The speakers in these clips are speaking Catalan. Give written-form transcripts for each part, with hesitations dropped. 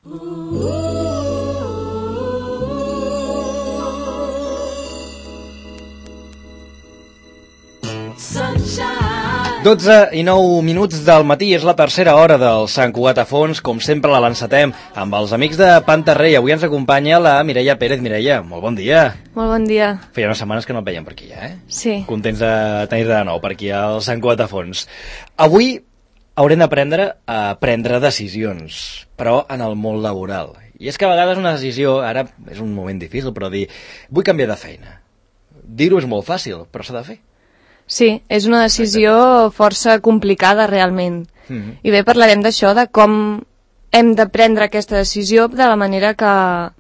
Sunshine. 12:09 del matí, és la tercera hora del Sant Cugat a fons. Com sempre la l'encetem amb els amics de Pantarrey. Avui ens acompanya la Mireia Pérez. Mireia, molt bon dia. Molt bon dia. Feia unes setmanes que no et veiem per aquí, eh? Sí. Contents de tenir-te de nou per aquí al Sant Cugat a fons. Avui haurem d'aprendre a prendre decisions, però en el món laboral. I és que a vegades una decisió, ara és un moment difícil, però dir, vull canviar de feina. Dir-ho és molt fàcil, però s'ha de fer. Sí, és una decisió força complicada realment. I bé, parlarem d'això, de com hem de prendre aquesta decisió de la manera que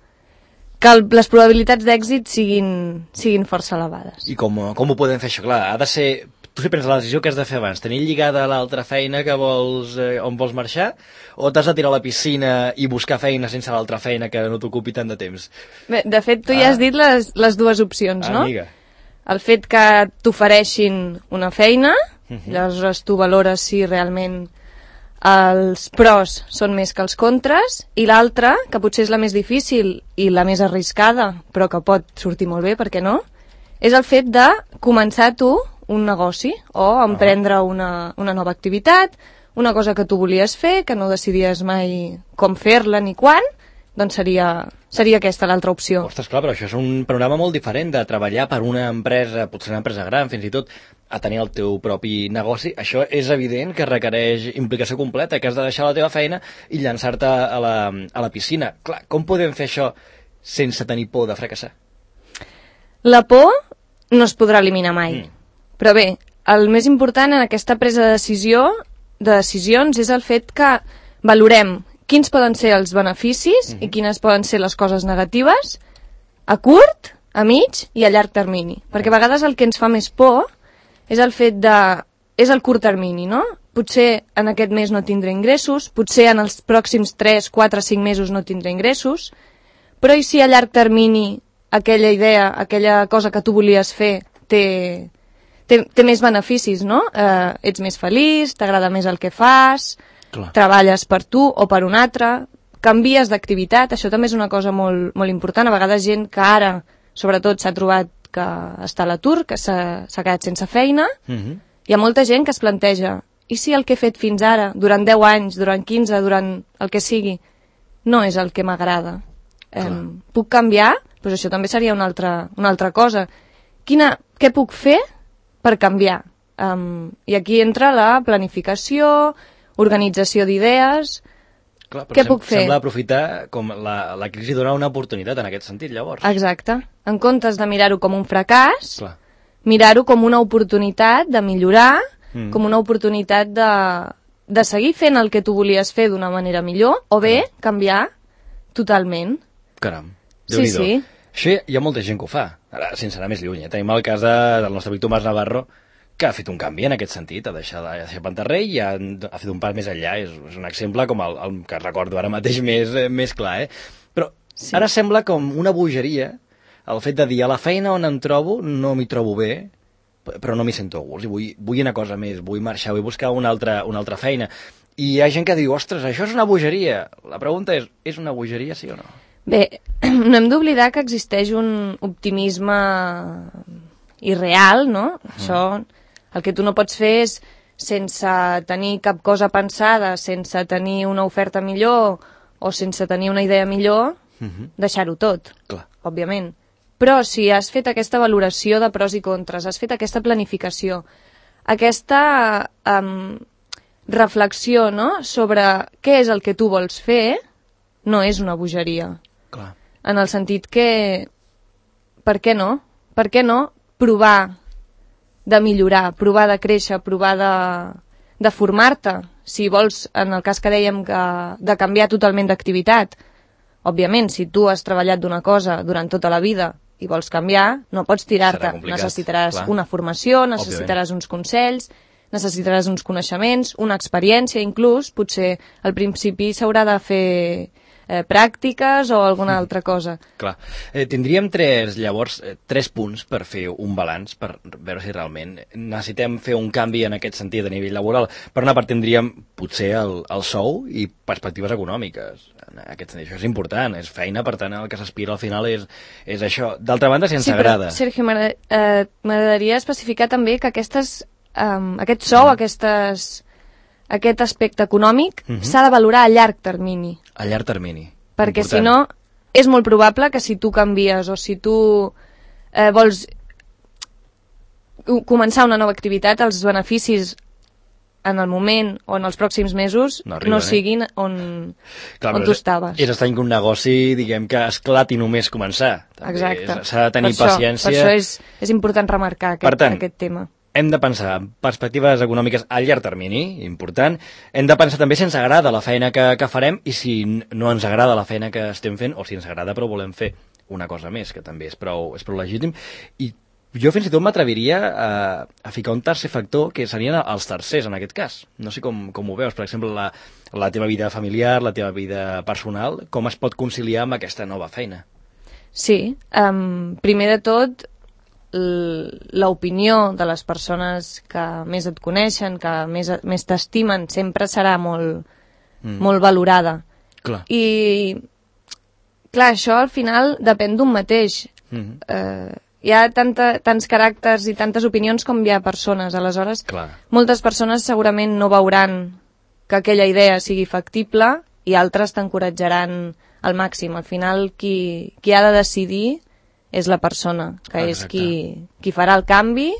les probabilitats d'èxit siguin força elevades. I com ho podem fer això? Clar, ha de ser... Tu si prens la decisió que has de fer abans, tenir lligada a l'altra feina que vols, on vols marxar, o t'has de tirar a la piscina i buscar feina sense l'altra feina que no t'ocupi tant de temps? Bé, de fet, tu ja has dit les dues opcions, no? Amiga. El fet que t'ofereixin una feina, llavors tu valores si realment els pros són més que els contres, i l'altra, que potser és la més difícil i la més arriscada, però que pot sortir molt bé, per què no? És el fet de començar tu un negoci o emprendre una nova activitat, una cosa que tu volies fer, que no decidies mai com fer-la ni quan, doncs seria aquesta l'altra opció. Ostres, clar, però això és un panorama molt diferent de treballar per una empresa, potser una empresa gran, fins i tot a tenir el teu propi negoci. Això és evident que requereix implicació completa, que has de deixar la teva feina i llançar-te a la piscina. Clar, com podem fer això sense tenir por de fracassar? La por no es podrà eliminar mai. Però bé, el més important en aquesta presa de decisions és el fet que valorem quins poden ser els beneficis i quines poden ser les coses negatives a curt, a mig i a llarg termini. Perquè a vegades el que ens fa més por és el fet és el curt termini, no? Potser en aquest mes no tindré ingressos, potser en els pròxims 3, 4, 5 mesos no tindré ingressos, però i si a llarg termini aquella idea, aquella cosa que tu volies fer té més beneficis, no? Ets més feliç, t'agrada més el que fas, clar, treballes per tu o per un altre, canvies d'activitat, això també és una cosa molt, molt important. A vegades gent que ara, sobretot, s'ha trobat que està a l'atur, que s'ha quedat sense feina, hi ha molta gent que es planteja, i si el que he fet fins ara, durant 10 anys, durant 15, durant el que sigui, no és el que m'agrada? Puc canviar? Doncs això també seria una altra cosa. Què puc fer per canviar? I aquí entra la planificació, organització d'idees. Què puc fer? Sembla aprofitar com la crisi dona una oportunitat en aquest sentit, llavors. Exacte. En comptes de mirar-ho com un fracàs, mirar-ho com una oportunitat de millorar, com una oportunitat de seguir fent el que tu volies fer d'una manera millor, o bé canviar totalment. Caram, Déu-n'hi-do. Sí. Això hi ha molta gent que ho fa, ara sense anar més lluny. Tenim el cas del nostre amic Tomàs Navarro, que ha fet un canvi en aquest sentit, ha deixat Pantarrey i ha fet un pas més enllà. És un exemple com el que recordo ara mateix més clar, Però ara sembla com una bogeria el fet de dir a la feina on em trobo no m'hi trobo bé, però no m'hi sento a gust, i vull una cosa més, vull marxar, vull buscar una altra feina. I hi ha gent que diu, ostres, això és una bogeria. La pregunta és una bogeria, sí o no? Bé, no hem d'oblidar que existeix un optimisme irreal, no? Això, el que tu no pots fer és, sense tenir cap cosa pensada, sense tenir una oferta millor o sense tenir una idea millor, deixar-ho tot, òbviament. Però si has fet aquesta valoració de pros i contres, has fet aquesta planificació, aquesta reflexió, no?, sobre què és el que tu vols fer, no és una bogeria. Clar. En el sentit que, per què no? Per què no provar de millorar, provar de créixer, provar de formar-te? Si vols, en el cas que dèiem, de canviar totalment d'activitat. Òbviament, si tu has treballat d'una cosa durant tota la vida i vols canviar, no pots tirar-te. Necessitaràs una formació, necessitaràs uns consells, necessitaràs uns coneixements, una experiència inclús. Potser al principi s'haurà de fer pràctiques o alguna altra cosa. Clar. Tindríem llavors tres punts per fer un balanç, per veure si realment necessitem fer un canvi en aquest sentit a nivell laboral. Per una part tindríem potser el sou i perspectives econòmiques. En aquest sentit, això és important, és feina, per tant el que s'aspira al final és això. D'altra banda, si ens agrada. Sí, però, Sergio, m'agradaria especificar també que aquest sou, aquest aspecte econòmic s'ha de valorar a llarg termini. A llarg termini. Perquè important. si no, és molt probable que si tu canvies o si tu vols començar una nova activitat, els beneficis en el moment o en els pròxims mesos no siguin on tu estaves. És estrany que un negoci, diguem, que esclati només començar. També exacte. S'ha de tenir paciència. Per això és important remarcar aquest tema. Hem de pensar en perspectives econòmiques a llarg termini, important. Hem de pensar també si ens agrada la feina que farem i si no ens agrada la feina que estem fent o si ens agrada però volem fer una cosa més, que també és prou legítim. I jo fins i tot m'atreviria a ficar un tercer factor, que serien els tercers en aquest cas. No sé com ho veus, per exemple, la teva vida familiar, la teva vida personal, com es pot conciliar amb aquesta nova feina? Sí, primer de tot, l'opinió de les persones que més et coneixen, que més t'estimen, sempre serà molt valorada. Clar. I, clar, això al final depèn d'un mateix. Hi ha tants caràcters i tantes opinions com hi ha persones. Aleshores, moltes persones segurament no veuran que aquella idea sigui factible i altres t'encoratjaran al màxim. Al final, qui ha de decidir és la persona, que és qui farà el canvi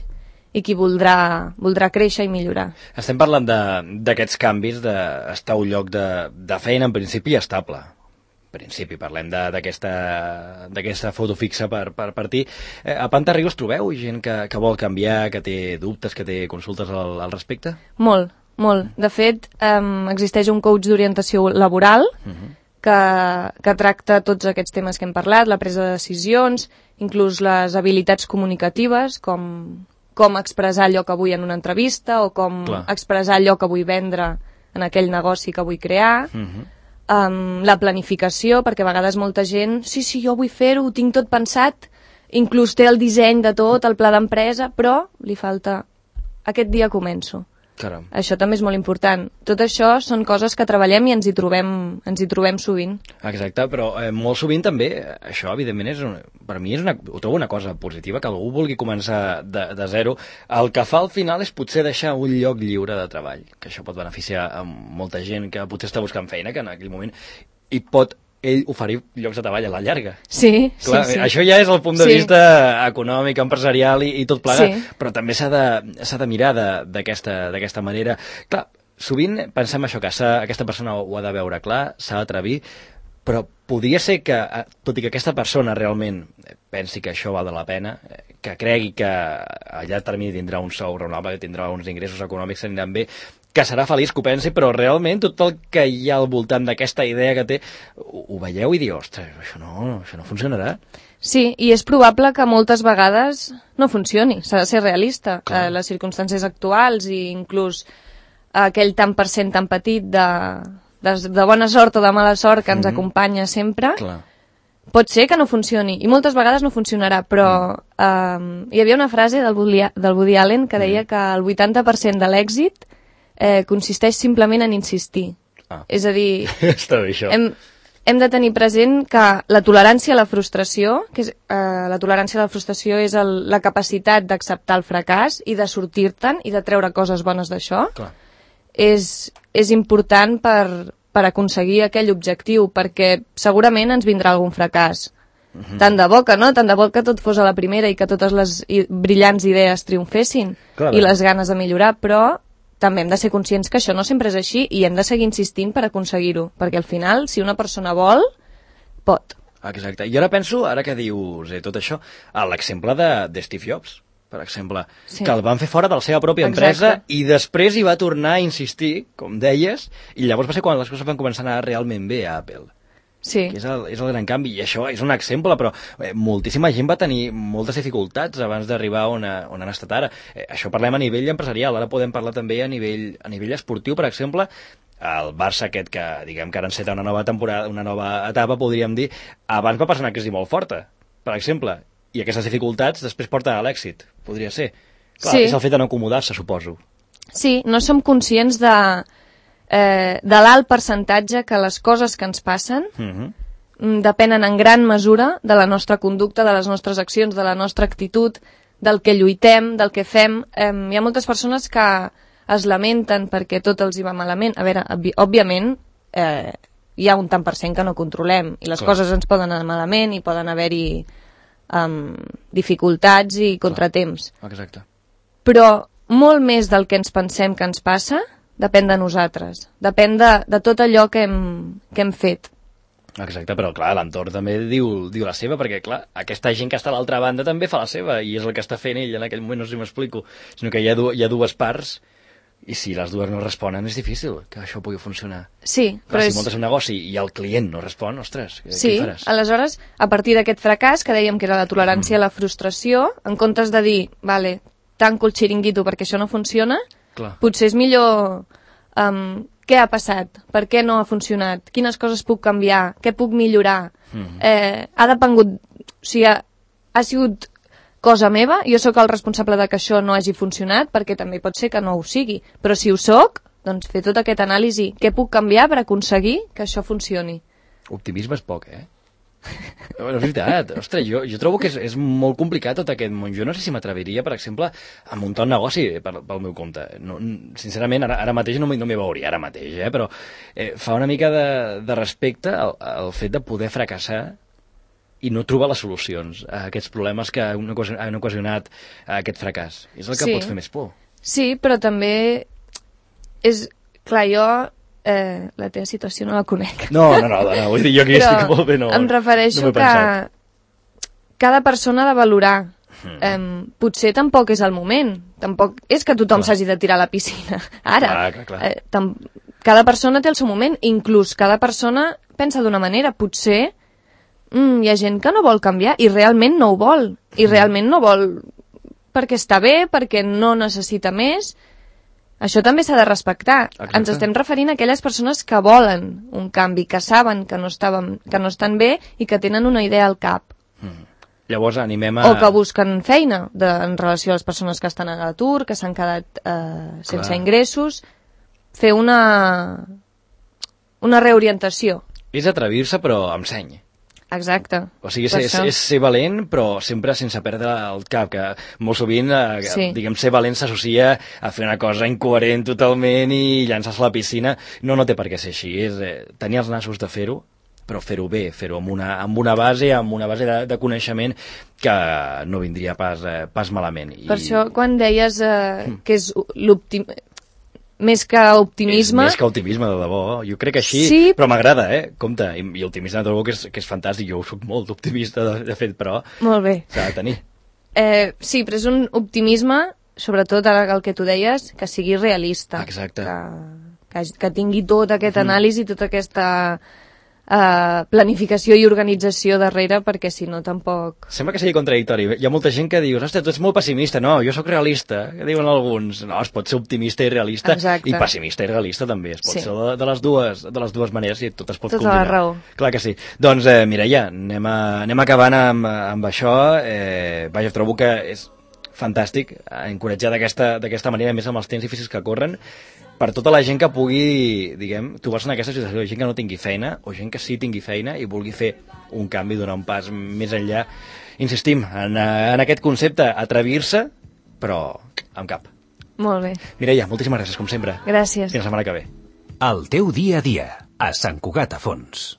i qui voldrà créixer i millorar. Estem parlant d'aquests canvis, d'estar a un lloc de feina en principi estable. Principi, parlem d'aquesta foto fixa per ti. A Pantarriu us trobeu gent que vol canviar, que té dubtes, que té consultes al respecte? Molt. De fet, existeix un coach d'orientació laboral que tracta tots aquests temes que hem parlat, la presa de decisions, inclús les habilitats comunicatives, com expressar allò que vull en una entrevista o com expressar allò que vull vendre en aquell negoci que vull crear. La planificació, perquè a vegades molta gent, sí, jo vull fer-ho, ho tinc tot pensat, inclús té el disseny de tot, el pla d'empresa, però li falta aquest dia començo. Caram. Això també és molt important. Tot això són coses que treballem i ens hi trobem sovint. Exacte, però molt sovint també, això evidentment per mi ho trobo una cosa positiva, que algú vulgui començar de zero. El que fa al final és potser deixar un lloc lliure de treball, que això pot beneficiar a molta gent que potser està buscant feina, que en aquell moment hi pot ell oferir llocs de treball a la llarga. Sí. Això ja és el punt de vista econòmic, empresarial i tot plegat, però també s'ha de mirar d'aquesta manera. Clar, sovint pensem això, que aquesta persona ho ha de veure clar, s'ha d'atrevir, però podria ser que, tot i que aquesta persona realment pensi que això val de la pena, que cregui que a llarg termini tindrà un sou raonable, que tindrà uns ingressos econòmics que aniran bé, que serà feliç, que ho pensi, però realment tot el que hi ha al voltant d'aquesta idea que té, ho veieu i diu, ostres, això no funcionarà. Sí, i és probable que moltes vegades no funcioni, s'ha de ser realista. Les circumstàncies actuals i inclús aquell tant per cent tan petit de bona sort o de mala sort que ens acompanya sempre, pot ser que no funcioni, i moltes vegades no funcionarà, però hi havia una frase del Woody Allen que deia que el 80% de l'èxit consisteix simplement en insistir. És a dir, està bé, això. Hem de tenir present que la tolerància a la frustració, la tolerància a la frustració és la capacitat d'acceptar el fracàs i de sortir-te'n i de treure coses bones d'això, és important per aconseguir aquell objectiu, perquè segurament ens vindrà algun fracàs. Tant de bo que tot fos a la primera i que totes les brillants idees triomfessin i les ganes de millorar, però també hem de ser conscients que això no sempre és així i hem de seguir insistint per aconseguir-ho, perquè al final, si una persona vol, pot. Exacte. I ara penso, ara que dius tot això, a l'exemple de Steve Jobs, per exemple, que el van fer fora de la seva pròpia empresa i després hi va tornar a insistir, com deies, i llavors va ser quan les coses van començar a anar realment bé a Apple. Sí. Que és el gran canvi, i això és un exemple, però moltíssima gent va tenir moltes dificultats abans d'arribar on han estat ara. Això parlem a nivell empresarial, ara podem parlar també a nivell esportiu, per exemple. el Barça aquest que, diguem, que ara enceta una nova temporada, una nova etapa, podríem dir, abans va passar una crisi molt forta, per exemple, i aquestes dificultats després porten a l'èxit, podria ser. Clar, Sí. és el fet de no acomodar-se, suposo. Sí, no som conscients de l'alt percentatge que les coses que ens passen depenen en gran mesura de la nostra conducta, de les nostres accions, de la nostra actitud, del que lluitem, del que fem. Hi ha moltes persones que es lamenten perquè tot els hi va malament. A veure, òbviament, hi ha un tant per cent que no controlem i les Clar. coses ens poden anar malament i poden haver-hi dificultats i contratemps. Exacte. Però molt més del que ens pensem que ens passa depèn de nosaltres, depèn de tot allò que hem fet. Exacte, però clar, l'entorn també diu la seva, perquè clar, aquesta gent que està a l'altra banda també fa la seva, i és el que està fent ell en aquell moment, no sé si m'explico, sinó que hi ha dues parts, i si les dues no responen és difícil que això pugui funcionar. Sí, Clar, però si muntes un negoci i el client no respon, ostres, què sí, faràs? aleshores, a partir d'aquest fracàs, que dèiem que era la tolerància a la frustració, en comptes de dir, vale, tanco el xiringuito perquè això no funciona, Clar. potser és millor què ha passat, per què no ha funcionat, quines coses puc canviar, què puc millorar. Ha depengut, o sigui, ha sigut cosa meva, jo sóc el responsable de que això no hagi funcionat, perquè també pot ser que no ho sigui, però si ho sóc, doncs fer tot aquest anàlisi, què puc canviar per aconseguir que això funcioni. Optimisme és poc, eh? No, és veritat, ostres, jo trobo que és molt complicat tot aquest món. Jo no sé si m'atreviria, per exemple, a muntar un negoci pel meu compte. No, sincerament, ara mateix no m'hi veuria, ara mateix, però fa una mica de respecte al fet de poder fracassar i no trobar les solucions a aquests problemes que han ocasionat aquest fracàs. És el que pot fer més por. Sí, però també és... Clar, jo la teva situació no la conec. No, vull dir, jo aquí estic molt bé, no. Em refereixo que cada persona ha de valorar. Potser tampoc és el moment. Tampoc és que tothom s'hagi de tirar a la piscina. Ara, clar. Cada persona té el seu moment. Inclús cada persona pensa d'una manera. Potser hi ha gent que no vol canviar i realment no ho vol. I realment no vol perquè està bé, perquè no necessita més. Això també s'ha de respectar. Exacte. Ens estem referint a aquelles persones que volen un canvi, que saben que no estan bé i que tenen una idea al cap. Llavors animem a... O que busquen feina en relació a les persones que estan a l'atur, que s'han quedat sense ingressos. Fer una reorientació. És atrevir-se, però amb seny. Exacte. O sigui, és ser valent, però sempre sense perdre el cap, que molt sovint, diguem, ser valent s'associa a fer una cosa incoherent totalment i llançar-se a la piscina. No té per què ser així, és tenir els nassos de fer-ho, però fer-ho bé, fer-ho amb una base de coneixement que no vindria pas malament. Per això, quan deies que és més que optimisme... És més que optimisme, de debò. Jo crec que així, sí, però m'agrada, Compte, i optimisme de debò que és fantàstic. Jo soc molt optimista, de fet, però... Molt bé. S'ha de tenir. Sí, però és un optimisme, sobretot ara el que tu deies, que sigui realista. Exacte. Que tingui tot aquest anàlisi, tota aquesta planificació i organització darrere, perquè si no tampoc... Sembla que sigui contradictori. Hi ha molta gent que diu, ostres, tu ets molt pessimista. No, jo sóc realista, que diuen alguns. No, es pot ser optimista i realista. Exacte. I pessimista i realista també. Es pot ser de les dues maneres i tot es pot combinar. Tota la raó. Clar que sí. Doncs, Mireia, anem acabant amb això. Vaja, trobo que és fantàstic encoratjar d'aquesta manera, més amb els temps difícils que corren, per tota la gent que pugui, diguem, trobar-se en aquesta situació, gent que no tingui feina o gent que sí tingui feina i vulgui fer un canvi, donar un pas més enllà. Insistim en aquest concepte, atrevir-se, però amb cap. Molt bé. Mireia, moltíssimes gràcies, com sempre. Gràcies. Fins la setmana que ve. El teu dia a dia, a Sant Cugat a Fons.